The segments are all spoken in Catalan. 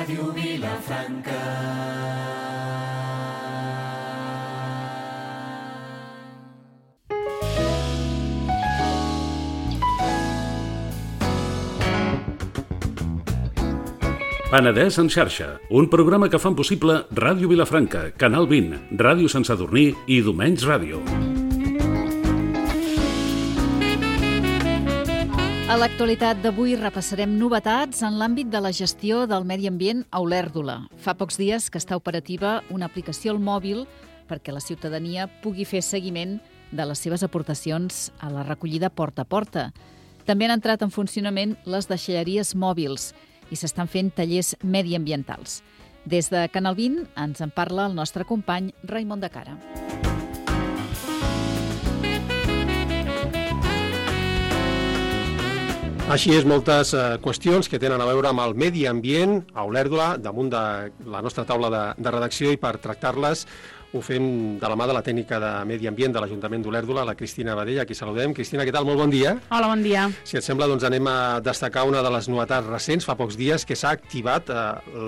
Ràdio Vilafranca. Penedès en xarxa, un programa que fan possible Ràdio Vilafranca, Canal 20, Ràdio Sant Sadurní i Domenys Ràdio. A l'actualitat d'avui repassarem novetats en l'àmbit de la gestió del medi ambient a Olèrdola. Fa pocs dies que està operativa una aplicació al mòbil perquè la ciutadania pugui fer seguiment de les seves aportacions a la recollida porta a porta. També han entrat en funcionament les deixalleries mòbils i s'estan fent tallers mediambientals. Des de Canal 20 ens en parla el nostre company Raimon de Cara. Així és, moltes qüestions que tenen a veure amb el medi ambient a Olèrdola, damunt de la nostra taula de redacció, i per tractar-les ho fem de la mà de la tècnica de medi ambient de l'Ajuntament d'Olèrdola, la Cristina Badell, a qui saludem. Cristina, què tal? Molt bon dia. Hola, bon dia. Si et sembla, doncs anem a destacar una de les novetats recents, fa pocs dies, que s'ha activat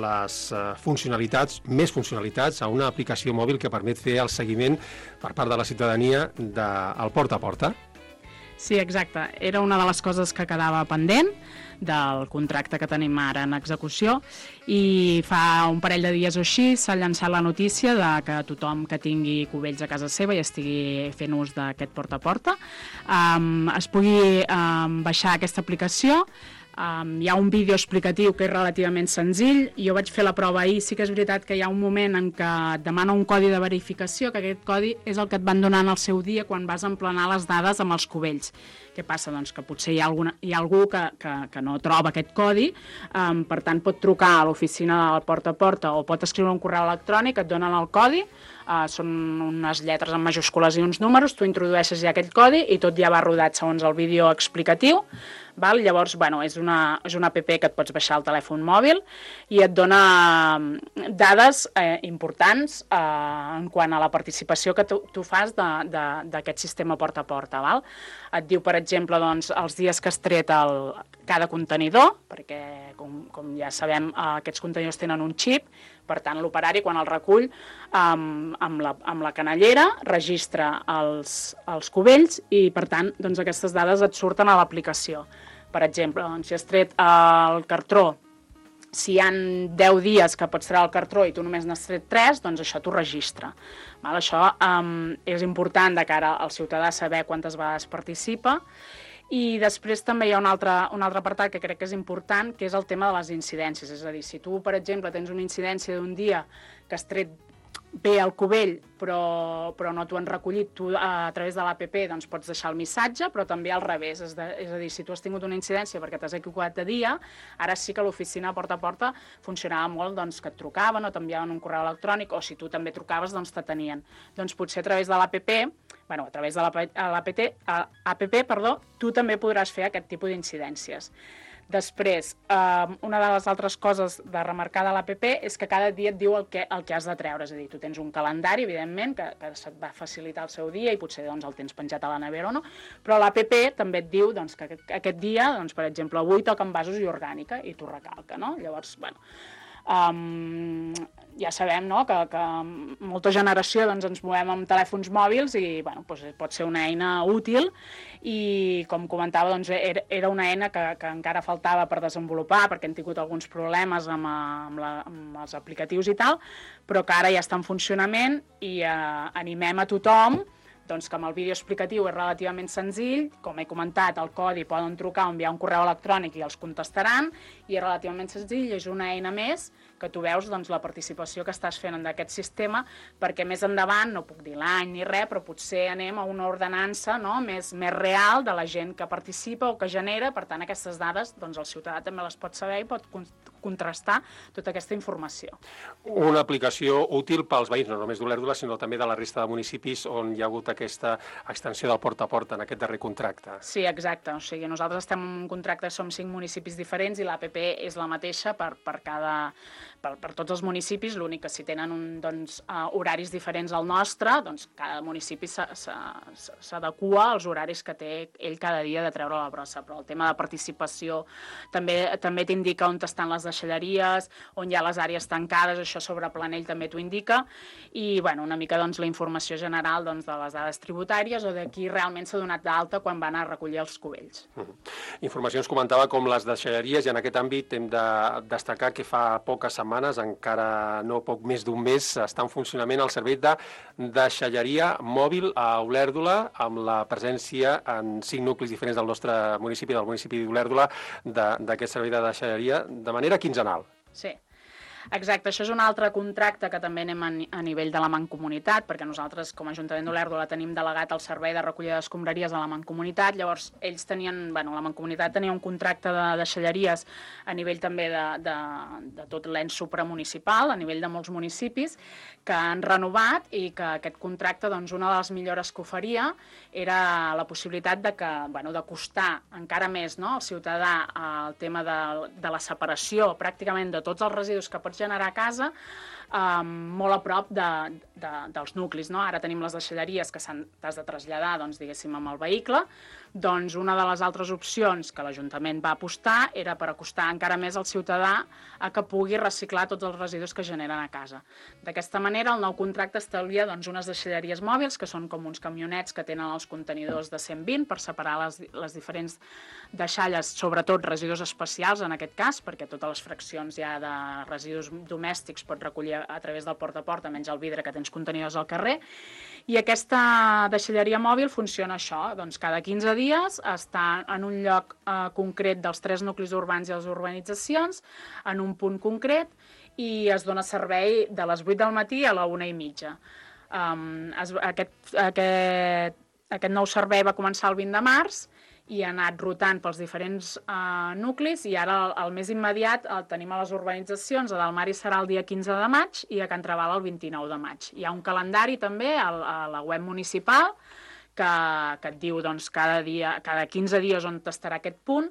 les funcionalitats, més funcionalitats, a una aplicació mòbil que permet fer el seguiment per part de la ciutadania del porta a porta. Sí, exacte. Era una de les coses que quedava pendent del contracte que tenim ara en execució i fa un parell de dies o així s'ha llançat la notícia de que tothom que tingui cubells a casa seva i estigui fent ús d'aquest porta a porta es pugui baixar aquesta aplicació. Hi ha un vídeo explicatiu que és relativament senzill. Jo vaig fer la prova ahir. Sí que és veritat que hi ha un moment en què et demana un codi de verificació, que aquest codi és el que et van donar en el seu dia quan vas emplenar les dades amb els cubells. Què passa? Doncs que potser hi ha algú que no troba aquest codi, per tant pot trucar a l'oficina del porta a porta o pot escriure un correu electrònic, et donen el codi, són unes lletres en majúscules i uns números, tu introdueixes ja aquell codi i tot ja va rodat segons el vídeo explicatiu. Llavors, és una app que et pots baixar al telèfon mòbil i et dona dades importants en quant a la participació que tu fas d'aquest sistema porta a porta. Et diu, per exemple, els dies que has tret cada contenidor, perquè, com ja sabem, aquests contenidors tenen un xip, per tant, l'operari, quan el recull amb la canellera, registra els cubells i, per tant, aquestes dades et surten a l'aplicació. Per exemple, si has tret el cartró, si hi ha 10 dies que pots treure el cartró i tu només n'has tret 3, doncs això t'ho registra. Això és important de cara al ciutadà saber quantes vegades participa. I després també hi ha un altre apartat que crec que és important, que és el tema de les incidències. És a dir, si tu, per exemple, tens una incidència d'un dia que has tret bé el cubell, però no t'ho han recollit, tu a través de l'APP pots deixar el missatge, però també al revés. És a dir, si tu has tingut una incidència perquè t'has equivocat de dia, ara sí que l'oficina porta a porta funcionava molt, que et trucaven o t'enviaven un correu electrònic, o si tu també trucaves, t'atenien. Doncs potser a través de l'APP, a través de l'APP, tu també podràs fer aquest tipus d'incidències. Després, una de les altres coses de remarcar de l'APP és que cada dia et diu el que has de treure. És a dir, tu tens un calendari, evidentment, que se't va facilitar el seu dia i potser el tens penjat a la nevera o no, però l'APP també et diu que aquest dia, per exemple, avui toca envasos i orgànica, i t'ho recalca, no? Llavors, ja sabem que molta generació ens movem amb telèfons mòbils i pot ser una eina útil i, com comentava, era una eina que encara faltava per desenvolupar perquè hem tingut alguns problemes amb els aplicatius i tal, però que ara ja està en funcionament i animem a tothom que amb el vídeo explicatiu és relativament senzill. Com he comentat, el codi poden trucar o enviar un correu electrònic i els contestaran, i és relativament senzill, és una eina més que tu veus la participació que estàs fent d'aquest sistema, perquè més endavant, no puc dir l'any ni res, però potser anem a una ordenança més real de la gent que participa o que genera. Per tant, aquestes dades el ciutadà també les pot saber i pot contrastar tota aquesta informació. Una aplicació útil pels veïns, no només d'Olèrdola, sinó també de la resta de municipis on hi ha hagut aquesta extensió del porta a porta en aquest darrer contracte. Sí, exacte. O sigui, nosaltres estem en un contracte, som 5 municipis diferents i l'APP és la mateixa per tots els municipis. L'únic que si tenen horaris diferents al nostre, cada municipi s'adequa als horaris que té ell cada dia de treure la brossa. Però el tema de participació també t'indica on estan les deixalleries, on hi ha les àrees tancades, això sobre Planell també t'ho indica, i una mica la informació general de les dades tributàries o de qui realment s'ha donat d'alta quan van a recollir els cubells. Informació ens comentava com les deixalleries, i en aquest àmbit hem de destacar que fa poques setmanes, encara no poc més d'un mes, està en funcionament el servei de deixalleria mòbil a Olèrdola, amb la presència en 5 nuclis diferents del nostre municipi, del municipi d'Olèrdola, d'aquest servei de deixalleria, de manera quinzenal. Sí. Exacte, això és un altre contracte que també anem a nivell de la Mancomunitat, perquè nosaltres, com a Ajuntament d'Olèrdola, tenim delegat el servei de recollida d'escombraries a la Mancomunitat. Llavors, ells tenien, la Mancomunitat tenia un contracte de deixalleries a nivell també de tot l'ens supramunicipal, a nivell de molts municipis, que han renovat, i que aquest contracte, una de les millores que oferia era la possibilitat d'acostar encara més al ciutadà el tema de la separació pràcticament de tots els residus que pots generar a casa, molt a prop dels nuclis. Ara tenim les deixalleries que t'has de traslladar, diguéssim, amb el vehicle. Una de les altres opcions que l'Ajuntament va apostar era per acostar encara més el ciutadà a que pugui reciclar tots els residus que generen a casa. D'aquesta manera, el nou contracte establia unes deixalleries mòbils, que són com uns camionets que tenen els contenidors de 120 per separar les diferents deixalles, sobretot residus especials en aquest cas, perquè totes les fraccions ja de residus domèstics pots recollir a través del porta a porta, menys el vidre que tens contenidors al carrer. I aquesta deixalleria mòbil funciona això, cada 15 dies està en un lloc concret dels 3 nuclis urbans i les urbanitzacions, en un punt concret, i es dona servei de les 8 del matí a la 1:30. Aquest nou servei va començar el 20 de març i ha anat rotant pels diferents nuclis, i ara el més immediat el tenim a les urbanitzacions. A Dalmari serà el dia 15 de maig i a Can Traval el 29 de maig. Hi ha un calendari també a la web municipal que et diu cada 15 dies on estarà aquest punt.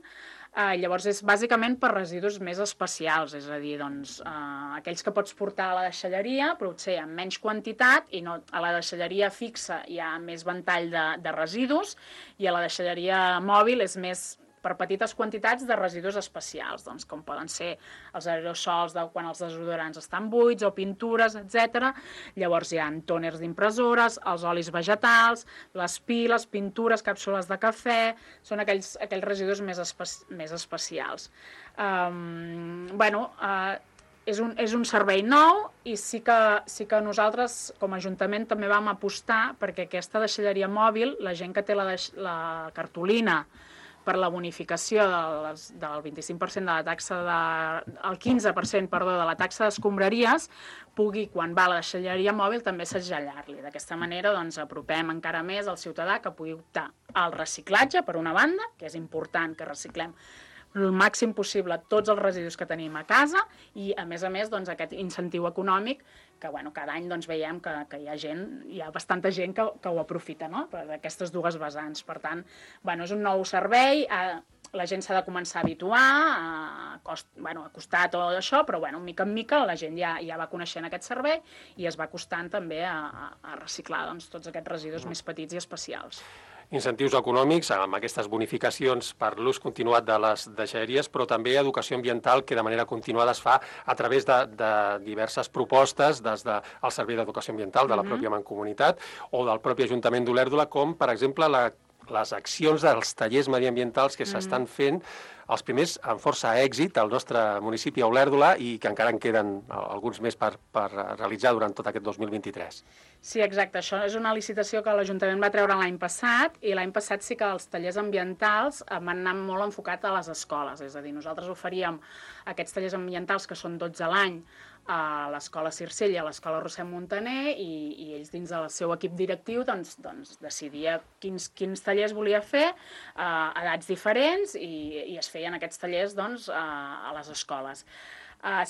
Llavors és bàsicament per residus més especials, és a dir, aquells que pots portar a la deixalleria, però potser en menys quantitat, i no, a la deixalleria fixa hi ha més ventall de residus, i a la deixalleria mòbil és més per petites quantitats de residus especials, com poden ser els aerosols quan els desodorants estan buits, o pintures, etc. Llavors hi ha tòners d'impressores, els olis vegetals, les piles, pintures, càpsules de cafè, són aquells residus més especials. És un servei nou, i sí que nosaltres, com a Ajuntament, també vam apostar perquè aquesta deixalleria mòbil, la gent que té la cartolina per la bonificació del 25% de la taxa el 15%, perdó, de la taxa d'escombraries, pugui, quan va a la deixalleria mòbil, també segellar-li. D'aquesta manera, apropem encara més al ciutadà que pugui optar al reciclatge, per una banda, que és important que reciclem el màxim possible tots els residus que tenim a casa, i a més aquest incentiu econòmic que cada any veiem que hi ha bastanta gent que ho aprofita, per aquestes dues vessants. Per tant, és un nou servei, la gent s'ha de començar a habituar, a costar tot això, però mica en mica la gent ja va coneixent aquest servei i es va acostant també a reciclar tots aquests residus més petits i especials. Incentius econòmics amb aquestes bonificacions per l'ús continuat de les deixalleries, però també educació ambiental que de manera continuada es fa a través de diverses propostes des del Servei d'Educació Ambiental de la pròpia Mancomunitat o del propi Ajuntament d'Olèrdola, com per exemple les accions dels tallers mediambientals que s'estan fent, els primers amb força èxit al nostre municipi, a Olèrdola, i que encara en queden alguns més per realitzar durant tot aquest 2023. Sí, exacte. Això és una licitació que l'Ajuntament va treure l'any passat, i l'any passat sí que els tallers ambientals van anar molt enfocats a les escoles. És a dir, nosaltres oferíem aquests tallers ambientals, que són 12 a l'any, a l'Escola Circell i a l'Escola Rossem Montaner, i ells dins del seu equip directiu decidia quins tallers volia fer a edats diferents, i es feien aquests tallers a les escoles.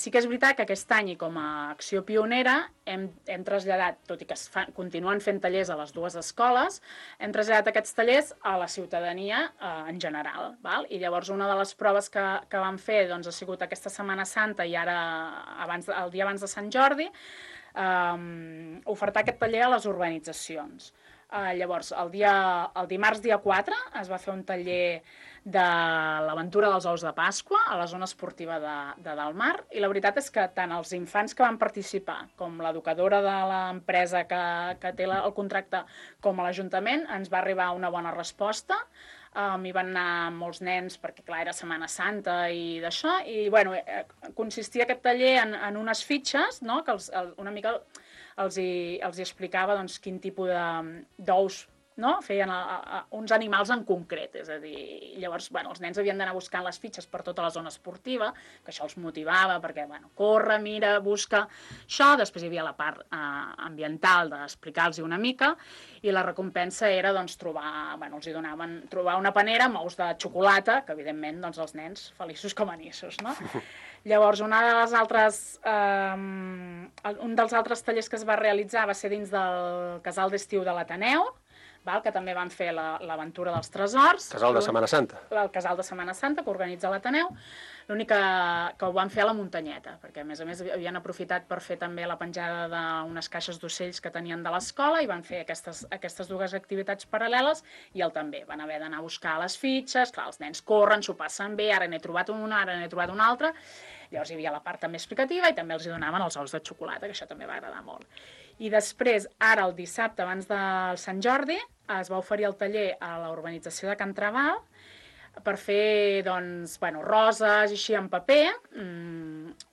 Sí que és veritat que aquest any, i com a acció pionera, hem traslladat, tot i que continuen fent tallers a les dues escoles, hem traslladat aquests tallers a la ciutadania en general. I llavors una de les proves que vam fer ha sigut aquesta Setmana Santa, i ara el dia abans de Sant Jordi, ofertar aquest taller a les urbanitzacions. Llavors, el dimarts dia 4 es va fer un taller de l'aventura dels ous de Pasqua a la zona esportiva de Dalmar, i la veritat és que tant els infants que van participar com l'educadora de l'empresa que té el contracte com a l'Ajuntament ens va arribar una bona resposta. Hi van anar molts nens perquè, clar, era Setmana Santa i d'això, i bueno, consistia aquest taller en unes fitxes, no?, que una mica els hi explicava doncs, quin tipus d'ous, no?, feien uns animals en concret, és a dir, llavors, bueno, els nens havien d'anar buscant les fitxes per tota la zona esportiva, que això els motivava, perquè, bueno, corre, mira, busca, això, després hi havia la part ambiental d'explicar-los una mica, i la recompensa era, doncs, els hi donaven trobar una panera amb ous de xocolata, que, evidentment, doncs, els nens feliços com anissos, no? Llavors, un dels altres tallers que es va realitzar va ser dins del casal d'estiu de l'Ateneu, que també van fer l'aventura dels tresors. Casal de Setmana Santa. El casal de Setmana Santa, que organitza l'Ateneu. L'únic que ho van fer a la muntanyeta, perquè a més havien aprofitat per fer també la penjada d'unes caixes d'ocells que tenien de l'escola i van fer aquestes dues activitats paral·leles, i també van haver d'anar a buscar les fitxes. Clar, els nens corren, s'ho passen bé, ara n'he trobat una, ara n'he trobat una altra. Llavors hi havia la part també explicativa i també els hi donaven els ous de xocolata, que això també va agradar molt. I després, ara el dissabte, abans del Sant Jordi, es va oferir el taller a la urbanització de Can Trabal per fer, doncs, roses i així en paper,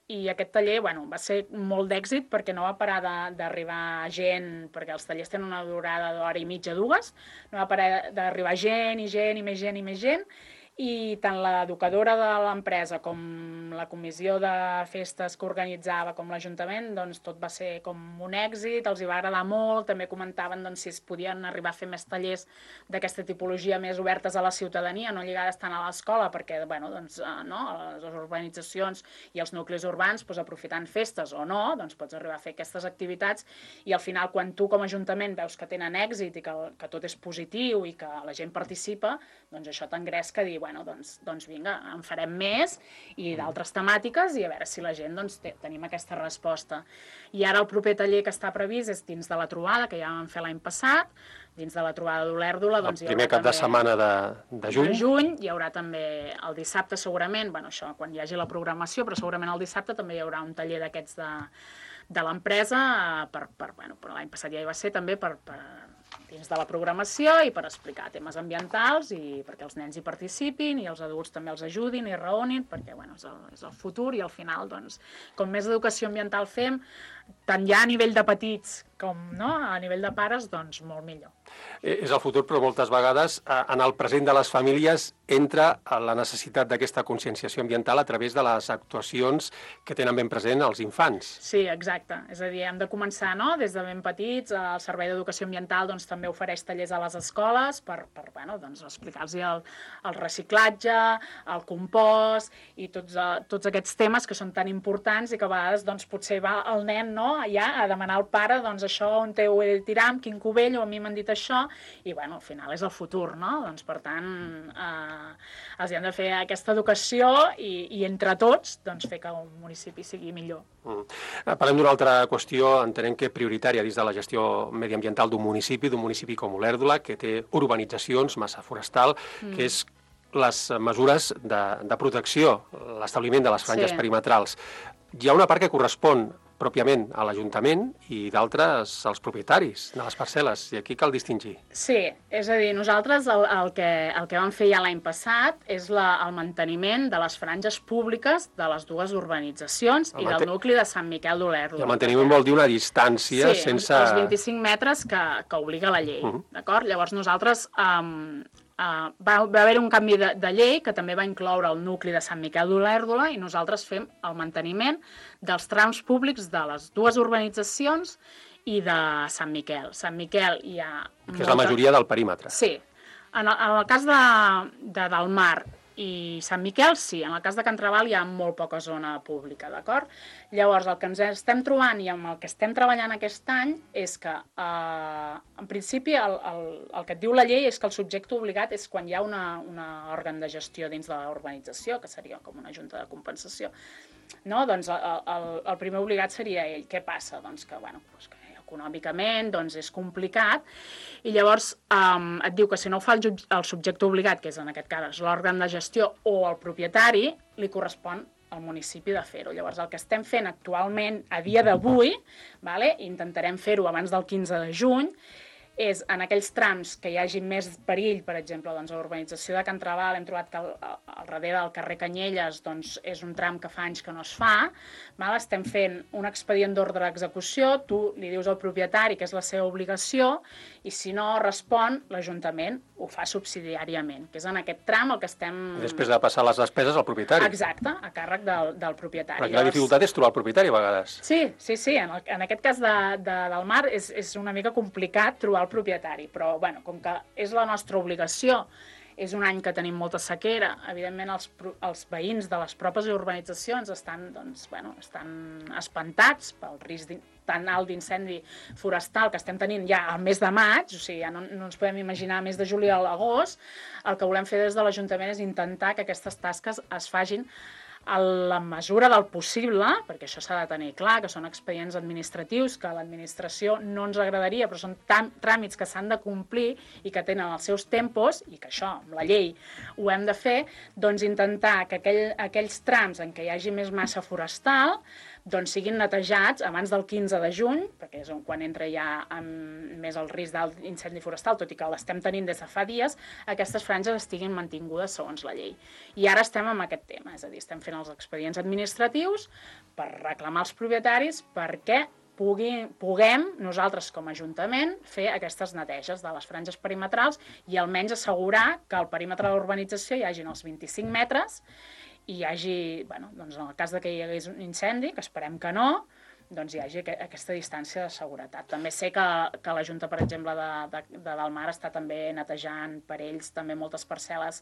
i aquest taller, va ser molt d'èxit perquè no va parar d'arribar gent, perquè els tallers tenen una durada d'hora i mitja, dues, no va parar d'arribar gent i gent i més gent i més gent, i tant l'educadora de l'empresa com la comissió de festes que organitzava com l'Ajuntament, doncs tot va ser com un èxit, els hi va agradar molt, també comentaven si es podien arribar a fer més tallers d'aquesta tipologia més obertes a la ciutadania, no lligades tant a l'escola, perquè les urbanitzacions i els nuclis urbans, aprofitant festes o no, pots arribar a fer aquestes activitats, i al final quan tu com a Ajuntament veus que tenen èxit i que tot és positiu i que la gent participa, doncs això t'engresca a dir, doncs vinga, en farem més i d'altres temàtiques, i a veure si la gent tenim aquesta resposta. I ara el proper taller que està previst és dins de la trobada, que ja vam fer l'any passat, dins de la trobada d'Olèrdola. El primer cap de setmana de juny. De juny, hi haurà també el dissabte segurament, això quan hi hagi la programació, però segurament el dissabte també hi haurà un taller d'aquests de l'empresa, l'any passat ja hi va ser també dins de la programació i per explicar temes ambientals i perquè els nens hi participin i els adults també els ajudin i raonin, perquè és el futur i al final, com més educació ambiental fem, tant ja a nivell de petits com a nivell de pares, doncs molt millor. És el futur, però moltes vegades en el present de les famílies entra la necessitat d'aquesta conscienciació ambiental a través de les actuacions que tenen ben present els infants. Sí, exacte. És a dir, hem de començar des de ben petits. El Servei d'Educació Ambiental també ofereix tallers a les escoles per explicar-los el reciclatge, el compost i tots aquests temes que són tan importants i que a vegades potser va el nen ja a demanar al pare això on ho he de tirar, amb quin cubell, o a mi m'han dit això, i al final és el futur, no? Per tant, els hem de fer aquesta educació i entre tots fer que un municipi sigui millor. Parlem d'una altra qüestió, entenem que prioritària dins de la gestió mediambiental d'un municipi com Olèrdola, que té urbanitzacions, massa forestal, que és les mesures de protecció, l'establiment de les franges perimetrals. Hi ha una part que correspon pròpiament a l'Ajuntament i d'altres als propietaris de les parcel·les, i aquí cal distingir. Sí, és a dir, nosaltres el que vam fer ja l'any passat és el manteniment de les franges públiques de les dues urbanitzacions i del nucli de Sant Miquel d'Olèrdola. El manteniment vol dir una distància sense... Sí, els 25 metres que obliga la llei, d'acord? Llavors nosaltres... va haver un canvi de llei que també va incloure el nucli de Sant Miquel d'Olèrdola i nosaltres fem el manteniment dels trams públics de les dues urbanitzacions i de Sant Miquel. Sant Miquel hi ha... Que és la majoria del perímetre. Sí. En el cas de Dalmar i Sant Miquel, sí. En el cas de Can Trabal hi ha molt poca zona pública, d'acord? Llavors, el que ens estem trobant i amb el que estem treballant aquest any és que, en principi, el que et diu la llei és que el subjecte obligat és quan hi ha un òrgan de gestió dins de l'urbanització, que seria com una junta de compensació. No? Doncs el primer obligat seria ell. Què passa? Doncs que, econòmicament doncs, és complicat, i llavors et diu que si no ho fa el subjecte obligat, que és en aquest cas l'òrgan de gestió o el propietari, li correspon al municipi de fer-ho. Llavors, el que estem fent actualment, a dia d'avui, intentarem fer-ho abans del 15 de juny, és en aquells trams que hi hagi més perill, per exemple, doncs, a l'urbanització de Can Trabal hem trobat que al darrere del carrer Canyelles doncs, és un tram que fa anys que no es fa, estem fent un expedient d'ordre d'execució, tu li dius al propietari que és la seva obligació, i si no respon, l'Ajuntament ho fa subsidiàriament, que és en aquest tram el que estem... Després de passar les despeses al propietari. Exacte, a càrrec del propietari. Perquè la dificultat és trobar el propietari, a vegades. Sí. En aquest cas del mar és una mica complicat trobar el propietari, però com que és la nostra obligació, és un any que tenim molta sequera, evidentment els veïns de les pròpies urbanitzacions estan espantats pel risc tan alt d'incendi forestal que estem tenint ja al mes de maig, o sigui, ja no ens podem imaginar mes de juliol a agost. El que volem fer des de l'Ajuntament és intentar que aquestes tasques es facin a la mesura del possible, perquè això s'ha de tenir clar, que són expedients administratius, que a l'administració no ens agradaria, però són tràmits que s'han de complir i que tenen els seus tempos, i que això, amb la llei, ho hem de fer, doncs intentar que aquells trams en què hi hagi més massa forestal doncs siguin netejats abans del 15 de juny, perquè és quan entra ja més el risc d'incendi forestal, tot i que l'estem tenint des de fa dies, aquestes franges estiguin mantingudes segons la llei. I ara estem amb aquest tema, és a dir, estem fent els expedients administratius per reclamar als propietaris perquè puguem nosaltres com a Ajuntament fer aquestes neteges de les franges perimetrals i almenys assegurar que al perímetre de l'urbanització hi hagin els 25 metres i hi hagi, doncs en el cas que hi hagués un incendi, que esperem que no, doncs hi hagi aquesta distància de seguretat. També sé que la Junta, per exemple, de Dalmar està també netejant per ells també moltes parcel·les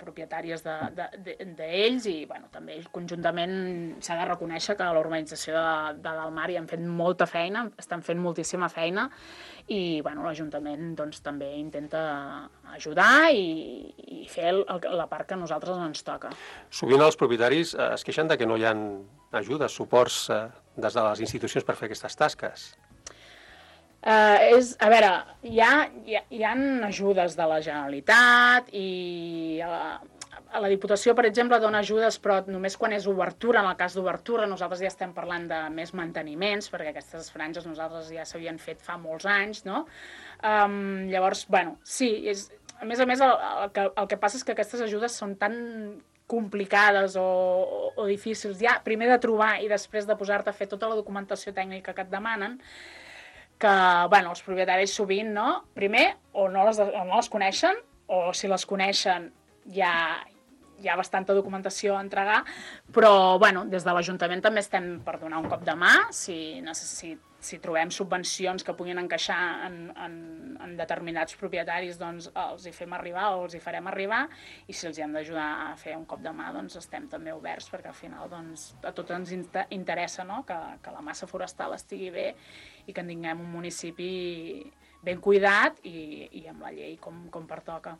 propietàries d'ells i també conjuntament s'ha de reconèixer que a l'urbanització de Dalmar hi han fet molta feina, estan fent moltíssima feina i l'Ajuntament també intenta ajudar i fer la part que a nosaltres ens toca. Sovint els propietaris es queixen de que no hi ha ajudes, suports des de les institucions per fer aquestes tasques. A veure, hi ha ajudes de la Generalitat i a la Diputació, per exemple, dona ajudes, però només quan és obertura. En el cas d'obertura, nosaltres ja estem parlant de més manteniments, perquè aquestes franges nosaltres ja s'havien fet fa molts anys, no? Llavors, sí, a més, el que passa és que aquestes ajudes són tan complicades o difícils, ja primer de trobar i després de posar-te a fer tota la documentació tècnica que et demanen, que els propietaris sovint, primer, o no les coneixen, o si les coneixen ja hi ha bastanta documentació a entregar, però des de l'Ajuntament també estem per donar un cop de mà, si trobem subvencions que puguin encaixar en determinats propietaris, doncs els hi fem arribar o els hi farem arribar, i si els hi hem d'ajudar a fer un cop de mà, doncs estem també oberts, perquè al final a tots ens interessa que la massa forestal estigui bé i que en tinguem un municipi ben cuidat i amb la llei com pertoca.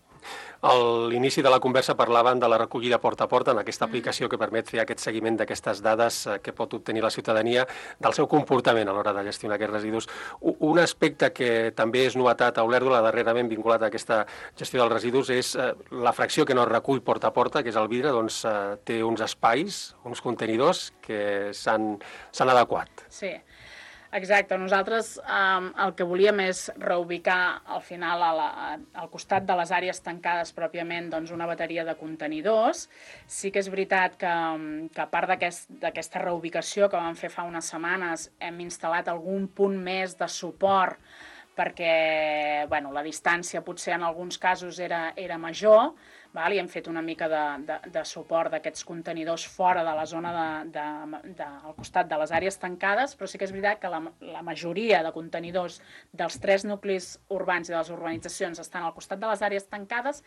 A l'inici de la conversa parlaven de la recollida porta a porta, en aquesta aplicació que permet fer aquest seguiment d'aquestes dades que pot obtenir la ciutadania del seu comportament a l'hora de gestionar aquests residus. Un aspecte que també és novetat a Olèrdola, darrerament vinculat a aquesta gestió dels residus, és la fracció que no es recull porta a porta, que és el vidre, doncs té uns espais, uns contenidors que s'han adequat. Sí. Exacte, nosaltres el que volíem és reubicar al final al costat de les àrees tancades pròpiament una bateria de contenidors. Sí que és veritat que a part d'aquesta reubicació que vam fer fa unes setmanes hem instal·lat algun punt més de suport perquè la distància potser en alguns casos era major, i hem fet una mica de suport d'aquests contenidors fora de la zona al costat de les àrees tancades, però sí que és veritat que la majoria de contenidors dels 3 nuclis urbans i de les urbanitzacions estan al costat de les àrees tancades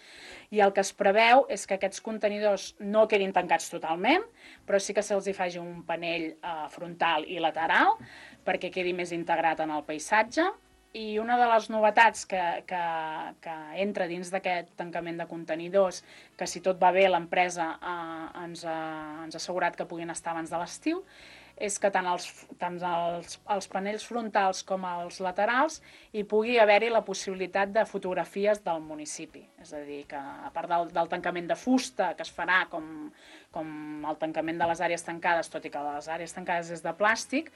i el que es preveu és que aquests contenidors no quedin tancats totalment, però sí que se'ls hi faci un panell frontal i lateral perquè quedi més integrat en el paisatge. I una de les novetats que entra dins d'aquest tancament de contenidors, que si tot va bé l'empresa ens ha assegurat que puguin estar abans de l'estiu, és que tant els panells frontals com els laterals hi pugui haver-hi la possibilitat de fotografies del municipi. És a dir, que a part del tancament de fusta, que es farà com el tancament de les àrees tancades, tot i que les àrees tancades és de plàstic,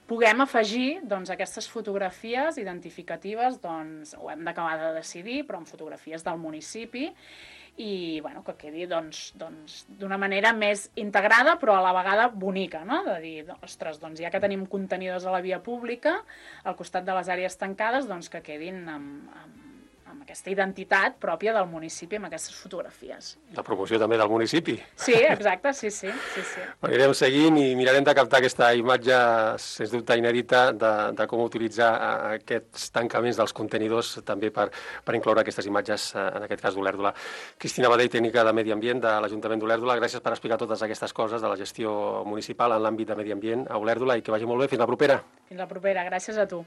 puguem afegir aquestes fotografies identificatives, ho hem d'acabar de decidir, però amb fotografies del municipi, i que quedi d'una manera més integrada però a la vegada bonica, no? De dir, ostres, ja que tenim contenidors a la via pública al costat de les àrees tancades, que quedin amb aquesta identitat pròpia del municipi, amb aquestes fotografies. La promoció també del municipi. Sí, exacte, sí. Anirem seguint i mirarem de captar aquesta imatge, sens dubte inèdita, de com utilitzar aquests tancaments dels contenidors també per incloure aquestes imatges, en aquest cas d'Olèrdola. Cristina Badell, tècnica de Medi Ambient de l'Ajuntament d'Olèrdola, gràcies per explicar totes aquestes coses de la gestió municipal en l'àmbit de Medi Ambient a Olèrdola i que vagi molt bé. Fins la propera. Fins la propera, gràcies a tu.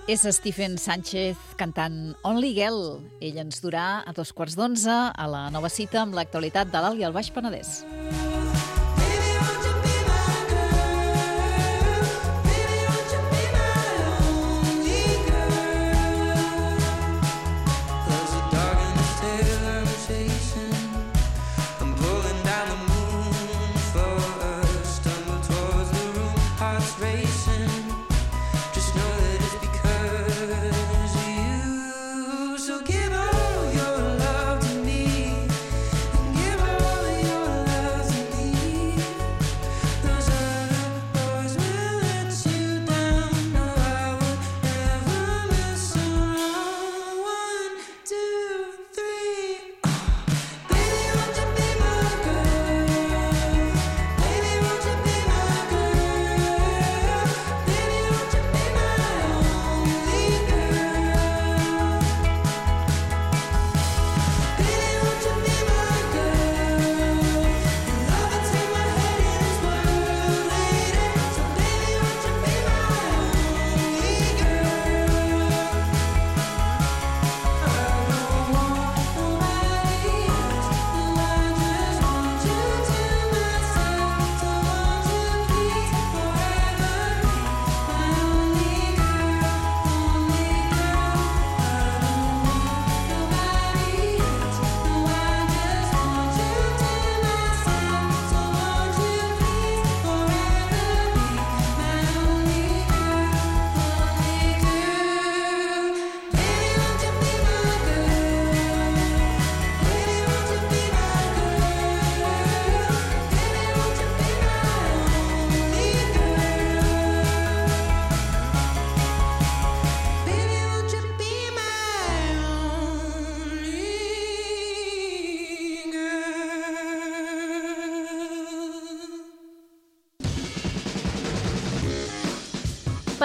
És Stephen Sánchez cantant Only Girl. Ell ens durà a 11:15 a la Nova Cita amb l'actualitat de l'Alt i el Baix Penedès.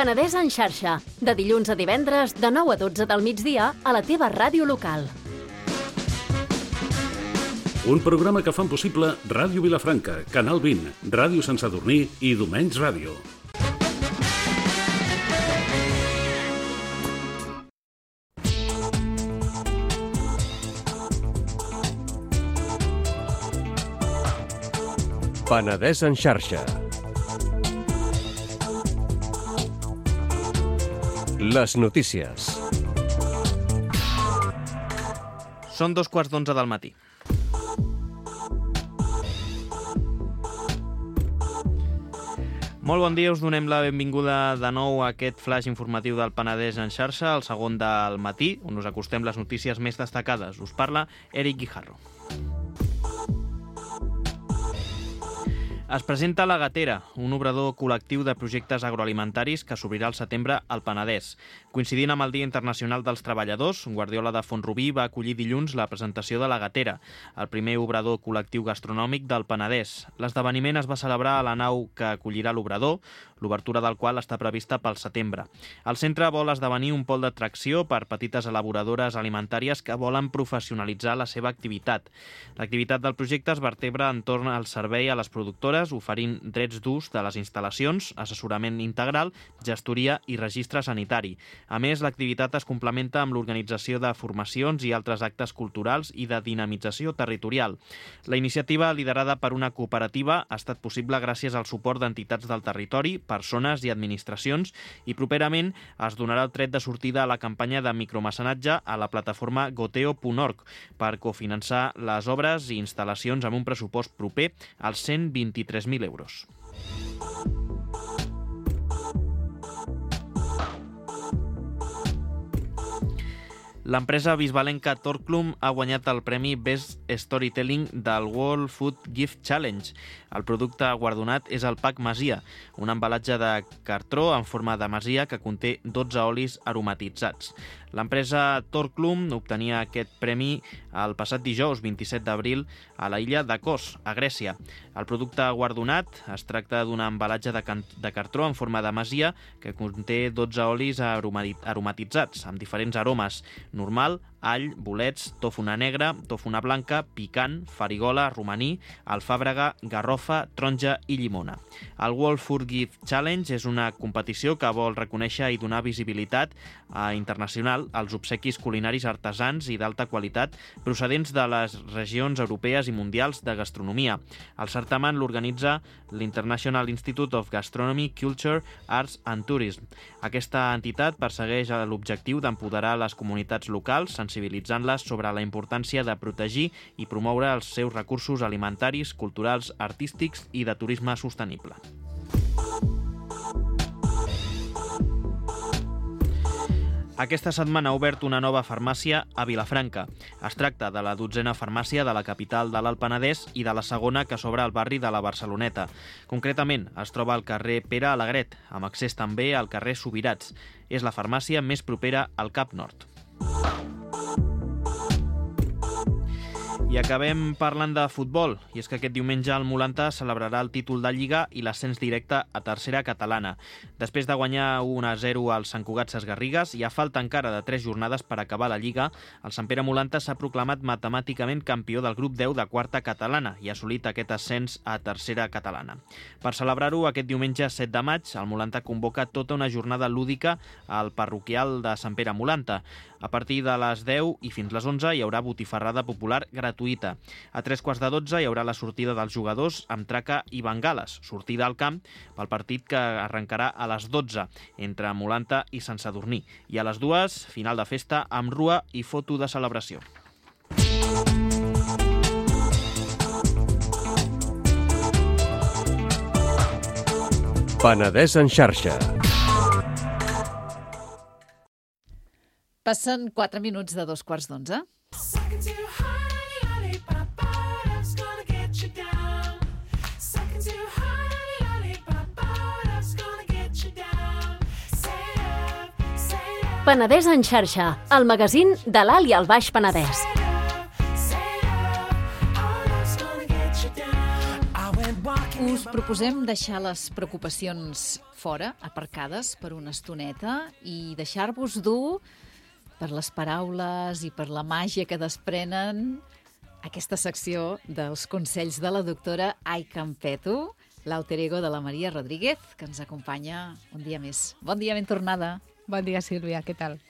Penedès en xarxa, de dilluns a divendres, de 9 a 12 del migdia, a la teva ràdio local. Un programa que fan possible Ràdio Vilafranca, Canal 20, Ràdio Sant Sadurní i Domenys Ràdio. Penedès en xarxa. Les notícies. Són 11:15 del matí. Molt bon dia, us donem la benvinguda de nou a aquest flash informatiu del Penedès en xarxa, el segon del matí, on us acostem les notícies més destacades. Us parla Eric Guijarro. Es presenta La Gatera, un obrador col·lectiu de projectes agroalimentaris que s'obrirà al setembre al Penedès. Coincidint amb el Dia Internacional dels Treballadors, Guardiola de Font-rubí va acollir dilluns la presentació de La Gatera, el primer obrador col·lectiu gastronòmic del Penedès. L'esdeveniment es va celebrar a la nau que acollirà l'obrador, l'obertura del qual està prevista pel setembre. El centre vol esdevenir un pol d'atracció per petites elaboradores alimentàries que volen professionalitzar la seva activitat. L'activitat del projecte es vertebra entorn al servei a les productores, oferint drets d'ús de les instal·lacions, assessorament integral, gestoria i registre sanitari. A més, l'activitat es complementa amb l'organització de formacions i altres actes culturals i de dinamització territorial. La iniciativa, liderada per una cooperativa, ha estat possible gràcies al suport d'entitats del territori, persones i administracions, i properament es donarà el tret de sortida a la campanya de micromecenatge a la plataforma goteo.org per cofinançar les obres i instal·lacions amb un pressupost proper als 123.000 euros. L'empresa bisbalenca Torklum ha guanyat el premi Best Storytelling del World Food Gift Challenge. El producte guardonat és el Pack Masia, un embalatge de cartró en forma de masia que conté 12 olis aromatitzats. L'empresa Torklum obtenia aquest premi el passat dijous 27 d'abril a la illa de Kos, a Grècia. El producte guardonat es tracta d'un embalatge de cartró en forma de masia que conté 12 olis aromatitzats amb diferents aromes: normal, all, bolets, tòfona negra, tòfona blanca, picant, farigola, romaní, alfàbrega, garrofa, taronja i llimona. El World Food Gift Challenge és una competició que vol reconèixer i donar visibilitat internacional als obsequis culinaris artesans i d'alta qualitat procedents de les regions europees i mundials de gastronomia. El certamen l'organitza l'International Institute of Gastronomy, Culture, Arts and Tourism. Aquesta entitat persegueix l'objectiu d'empoderar les comunitats locals, sensibilitzant-les sobre la importància de protegir i promoure els seus recursos alimentaris, culturals, artístics i de turisme sostenible. Aquesta setmana ha obert una nova farmàcia a Vilafranca. Es tracta de la 12a farmàcia de la capital de l'Alt Penedès i de la segona que s'obre al barri de la Barceloneta. Concretament, es troba al carrer Pere Alegret, amb accés també al carrer Subirats. És la farmàcia més propera al Cap Nord. I acabem parlant de futbol, i és que aquest diumenge el Molanta celebrarà el títol de Lliga i l'ascens directe a tercera catalana. Després de guanyar 1-0 al Sant Cugat Sesgarrigues i a falta encara de 3 jornades per acabar la Lliga, el Sant Pere Molanta s'ha proclamat matemàticament campió del grup 10 de quarta catalana i ha assolit aquest ascens a tercera catalana. Per celebrar-ho, aquest diumenge 7 de maig, el Molanta convoca tota una jornada lúdica al parroquial de Sant Pere Molanta. A partir de les 10 i fins les 11 hi haurà botifarrada popular gratuïta. A 3:15 hi haurà la sortida dels jugadors amb traca i bengales, sortida al camp pel partit que arrencarà a les 12 entre Molanta i Sant Sadurní. I a les 2, final de festa amb rua i foto de celebració. Penedès en xarxa. Passen 4 minuts de 2:15. Penedès en xarxa, el magazín de l'Alt i el Baix Penedès. Us proposem deixar les preocupacions fora, aparcades per una estoneta, i deixar-vos dur per les paraules i per la màgia que desprenen aquesta secció dels consells de la doctora Ai Campeto, l'alter ego de la Maria Rodríguez, que ens acompanya un dia més. Bon dia, ben tornada. Bon dia, Sílvia, què tal?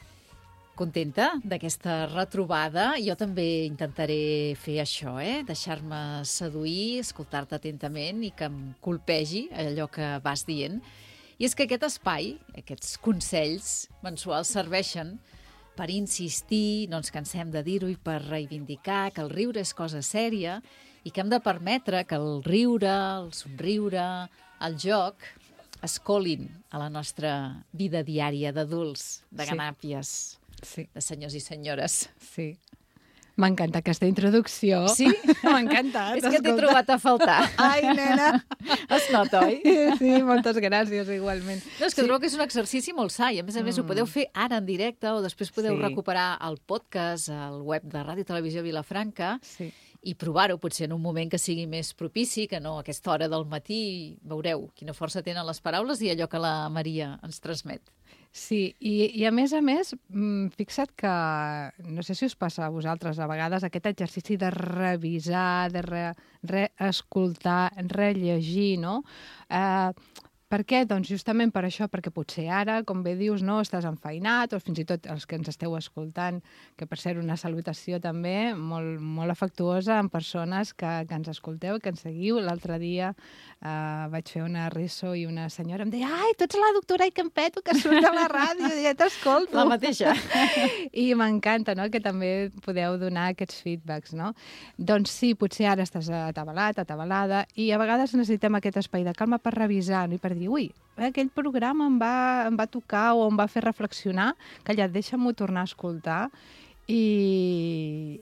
Contenta d'aquesta retrobada. Jo també intentaré fer això, deixar-me seduir, escoltar-te atentament i que em colpegi allò que vas dient. I és que aquest espai, aquests consells mensuals serveixen per insistir, no ens cansem de dir-ho, i per reivindicar que el riure és cosa sèria i que hem de permetre que el riure, el somriure, el joc es colin a la nostra vida diària d'adults, de ganàpies, sí, de senyors i senyores. Sí. M'ha encantat aquesta introducció. Sí? M'ha encantat. És que t'he trobat a faltar. Ai, nena! Es nota, oi? Sí, moltes gràcies, igualment. No, és que trobo que és un exercici molt sa i, a més, ho podeu fer ara en directe o després podeu recuperar el podcast al web de Ràdio Televisió Vilafranca i provar-ho, potser en un moment que sigui més propici, que no a aquesta hora del matí. Veureu quina força tenen les paraules i allò que la Maria ens transmet. Sí, i a més, fixa't que, no sé si us passa a vosaltres a vegades, aquest exercici de revisar, de reescoltar, rellegir, no? Per què? Doncs justament per això, perquè potser ara, com bé dius, no, estàs enfeinat, o fins i tot els que ens esteu escoltant, que per ser una salutació també molt, molt afectuosa amb persones que ens escolteu, que ens seguiu. L'altre dia vaig fer una riso i una senyora em deia «Ai, tu ets la doctora Iquempeto que surt a la ràdio, ja t'escolto». La mateixa. I m'encanta, no?, que també podeu donar aquests feedbacks, no? Doncs sí, potser ara estàs atabalat, atabalada, i a vegades necessitem aquest espai de calma per revisar, no?, i per dir ui, aquell programa em va tocar o em va fer reflexionar, calla, deixa'm-ho tornar a escoltar, i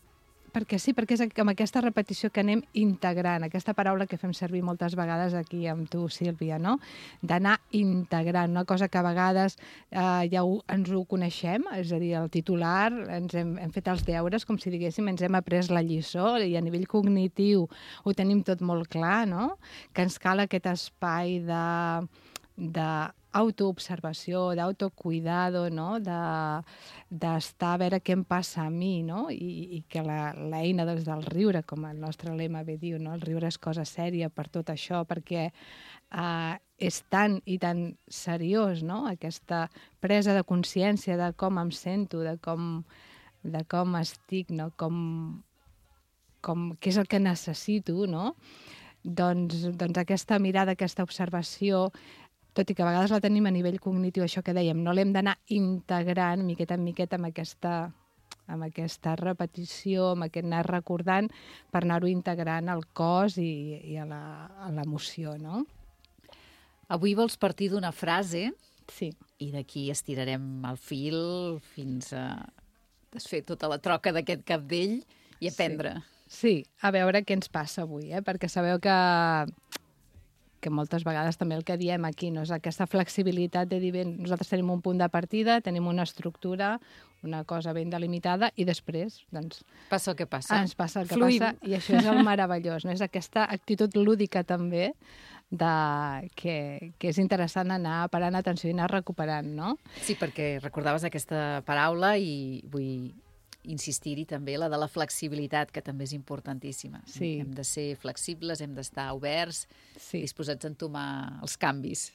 perquè sí, perquè és amb aquesta repetició que anem integrant, aquesta paraula que fem servir moltes vegades aquí amb tu, Sílvia, no? D'anar integrant, una cosa que a vegades ja ens ho coneixem, és a dir, el titular, hem fet els deures, com si diguéssim, ens hem après la lliçó, i a nivell cognitiu ho tenim tot molt clar, no? Que ens cal aquest espai d'autoobservació, d'autocuidado, no? D'estar a veure què em passa a mi, no? I que l'eina del riure, com el nostre lema bé diu, no? El riure és cosa sèria per tot això, perquè és tan i tan seriós, no? Aquesta presa de consciència de com em sento, de com estic, no? Què és el que necessito, no? Doncs aquesta mirada, aquesta observació, tot i que a vegades la tenim a nivell cognitiu, això que dèiem, no l'hem d'anar integrant miqueta en miqueta amb aquesta repetició, amb aquest anar recordant, per anar-ho integrant al cos i a l'emoció, no? Avui vols partir d'una frase i d'aquí estirarem el fil fins a desfer tota la troca d'aquest cabdell i aprendre. Sí, a veure què ens passa avui, perquè sabeu que moltes vegades també el que diem aquí, no? És aquesta flexibilitat de dir, bé, nosaltres tenim un punt de partida, tenim una estructura, una cosa ben delimitada, i després, doncs... Passa el que passa. Ens passa el que passa, i això és el meravellós, no? És aquesta actitud lúdica també, que és interessant anar parant atenció i anar recuperant, no? Sí, perquè recordaves aquesta paraula i vull insistir-hi també, la de la flexibilitat, que també és importantíssima. Sí. Hem de ser flexibles, hem d'estar oberts, disposats a entomar els canvis.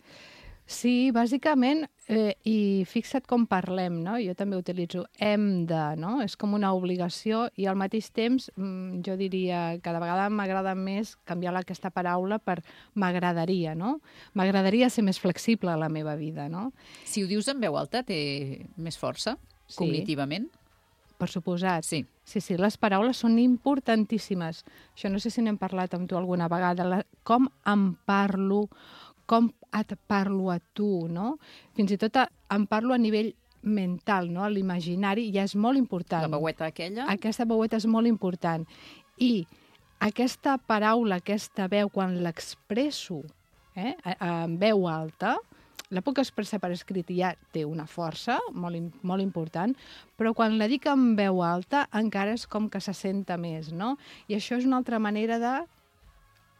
Sí, bàsicament, i fixa't com parlem, no? Jo també utilitzo hem de, no? És com una obligació, i al mateix temps jo diria que de vegades m'agrada més canviar aquesta paraula per m'agradaria, no? M'agradaria ser més flexible a la meva vida, no? Si ho dius en veu alta, té més força, cognitivament? Per suposat. Sí. Sí, les paraules són importantíssimes. Això no sé si n'hem parlat amb tu alguna vegada. Com em parlo, com et parlo a tu, no? Fins i tot em parlo a nivell mental, no? L'imaginari ja és molt important. La veueta aquella? Aquesta veueta és molt important. I aquesta paraula, aquesta veu, quan l'expresso en veu alta, la puc expressar per escrit i ja té una força molt important, però quan la dic en veu alta encara és com que se senta més, no? I això és una altra manera de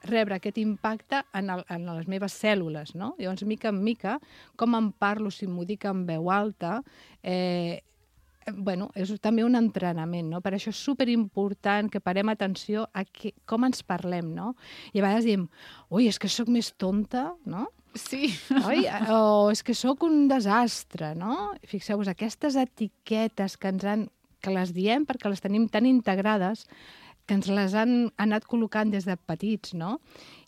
rebre aquest impacte en les meves cèl·lules, no? Llavors, mica en mica, com em parlo, si m'ho dic en veu alta, és també un entrenament, no? Per això és superimportant que parem atenció a com ens parlem, no? I a vegades diem, ui, és que sóc més tonta, no? Sí. Oi? O és que sóc un desastre, no? Fixeu-vos, aquestes etiquetes que les diem perquè les tenim tan integrades que ens les han anat col·locant des de petits, no?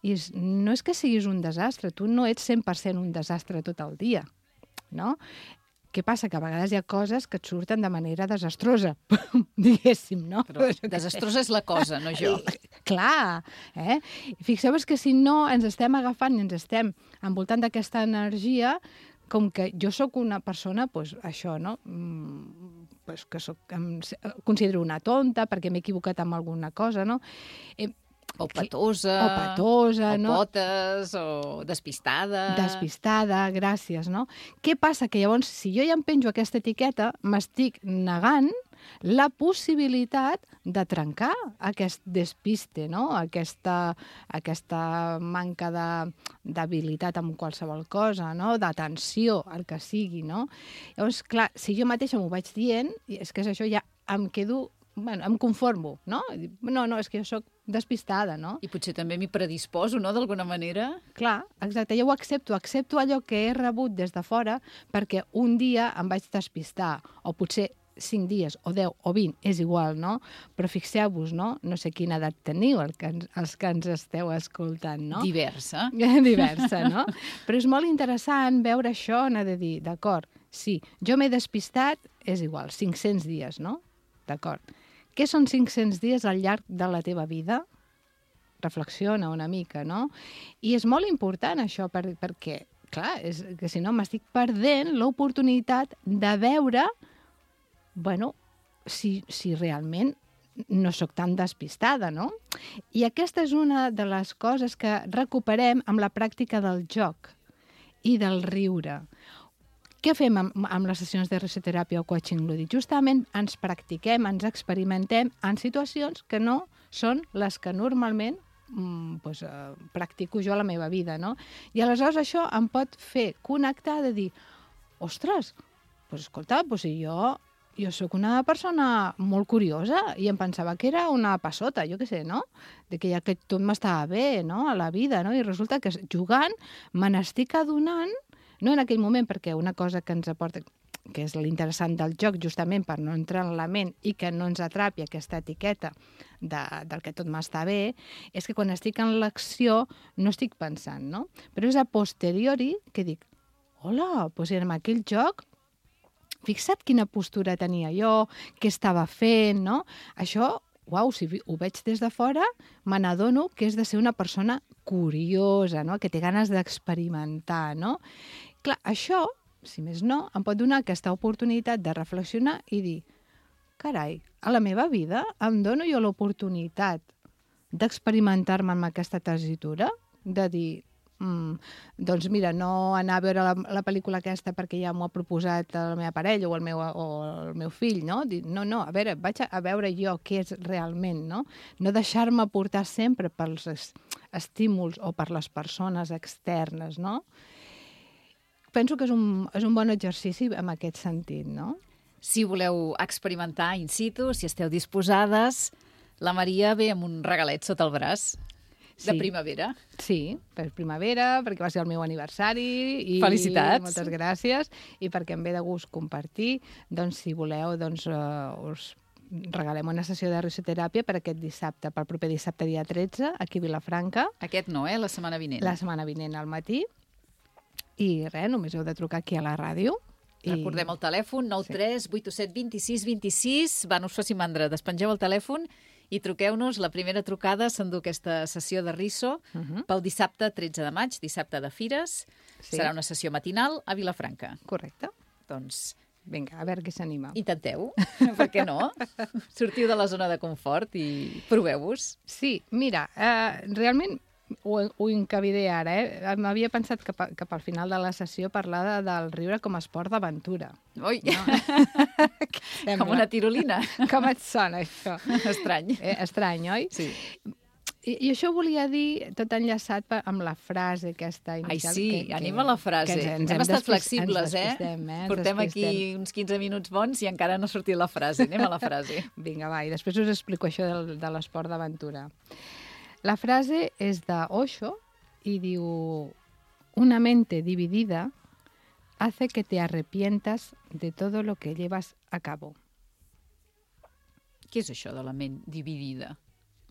I no és que siguis un desastre, tu no ets 100% un desastre tot el dia, no? Què passa? Que a vegades hi ha coses que et surten de manera desastrosa, diguéssim, no? Però desastrosa és la cosa, no jo. Clar, Fixeu-vos que si no ens estem agafant i ens estem envoltant d'aquesta energia, com que jo sóc una persona, doncs això, no? que em considero una tonta perquè m'he equivocat amb alguna cosa, no? O petosa, o petosa, o no? potes, o despistada. Despistada, gràcies, no? Què passa? Que llavors, si jo ja em penjo aquesta etiqueta, m'estic negant la possibilitat de trencar aquest despiste, no? Aquesta manca d'habilitat en qualsevol cosa, no? D'atenció, el que sigui, no? Llavors, clar, si jo mateixa m'ho vaig dient, és que és això, ja em quedo... Bueno, em conformo, no? No, és que jo sóc despistada, no? I potser també m'hi predisposo, no?, d'alguna manera. Clar, exacte, jo ho accepto allò que he rebut des de fora perquè un dia em vaig despistar, o potser 5 dies, o 10, o 20, és igual, no? Però fixeu-vos, no? No sé quina edat teniu, els que ens esteu escoltant, no? Diversa. Diversa, no? Però és molt interessant veure això, anar de dir, d'acord, sí, jo m'he despistat, és igual, 500 dies, no? D'acord. Què són 500 dies al llarg de la teva vida? Reflexiona una mica, no? I és molt important això perquè, clar, és que si no m'estic perdent l'oportunitat de veure, bueno, si realment no sóc tan despistada, no? I aquesta és una de les coses que recuperem amb la pràctica del joc i del riure. Què fem amb les sessions de risoteràpia o coaching lúdic? Justament ens practiquem, ens experimentem en situacions que no són les que normalment practico jo a la meva vida, no? I aleshores això em pot fer connectar de dir, ostres, escolta, si jo sóc una persona molt curiosa i em pensava que era una passota, jo què sé, no? De que ja que tot m'estava bé, no?, a la vida, no? I resulta que jugant me n'estic adonant, no en aquell moment, perquè una cosa que ens aporta, que és l'interessant del joc, justament per no entrar en la ment i que no ens atrapi aquesta etiqueta del que tot m'està bé, és que quan estic en l'acció no estic pensant, no? Però és a posteriori que dic, hola, doncs en aquell joc, fixa't quina postura tenia jo, què estava fent, no? Això, uau, si ho veig des de fora, me n'adono que és de ser una persona curiosa, no? Que té ganes d'experimentar, no? Clar, això, si més no, em pot donar aquesta oportunitat de reflexionar i dir, carai, a la meva vida em dono jo l'oportunitat d'experimentar-me amb aquesta tessitura, de dir, doncs mira, no anar a veure la pel·lícula aquesta perquè ja m'ho ha proposat la meva parella o el meu fill, no? Dir, no, a veure, vaig a veure jo què és realment, no? No deixar-me portar sempre pels estímuls o per les persones externes, no? Penso que és un bon exercici en aquest sentit, no? Si voleu experimentar in situ, si esteu disposades, la Maria ve amb un regalet sota el braç. De primavera. Sí, per primavera, perquè va ser el meu aniversari. I felicitats. Moltes gràcies. I perquè em ve de gust compartir, doncs, si voleu, doncs, us regalem una sessió de risoteràpia per aquest dissabte, pel proper dissabte, dia 13, aquí a Vilafranca. Aquest no, la setmana vinent. La setmana vinent al matí. I res, només heu de trucar aquí a la ràdio. Recordem el telèfon, 93 827 26 26. Va, no us faci mandra, despengeu el telèfon i truqueu-nos. La primera trucada s'endú aquesta sessió de riso pel dissabte 13 de maig, dissabte de Fires. Sí. Serà una sessió matinal a Vilafranca. Correcte. Doncs vinga, a veure qui s'anima. Intenteu, per què no? Sortiu de la zona de confort i proveu-vos. Sí, mira, realment ho encaviré ara, M'havia pensat que pel final de la sessió parlar del riure com a esport d'aventura. Ui! No? Com una tirolina. Com et sona, això? Estrany. Estrany, oi? Sí. I això volia dir, tot enllaçat amb la frase aquesta inicial. Ai, sí, anem a la frase. Hem estat flexibles, Portem aquí uns 15 minuts bons i encara no ha sortit la frase. Anem a la frase. Vinga, va, i després us explico això de l'esport d'aventura. La frase és de Osho i diu: una mente dividida hace que te arrepientas de todo lo que llevas a cabo. Què és això de la ment dividida?